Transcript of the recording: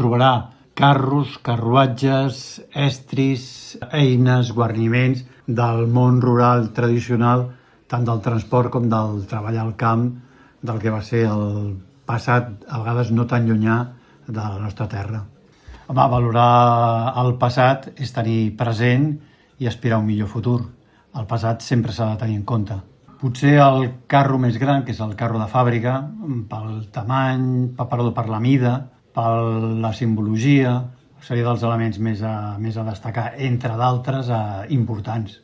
trobarà carros, carruatges, estris, eines, guarniments del món rural tradicional, tant del transport com del treball al camp, del que va ser el passat, a vegades no tan llunyà, de la nostra terra. Home, valorar el passat és tenir present i aspirar a un millor futur. El passat sempre s'ha de tenir en compte. Potser el carro més gran, que és el carro de fàbrica, pel tamany, per la mida, per la simbologia, seria dels elements més a destacar, entre d'altres importants.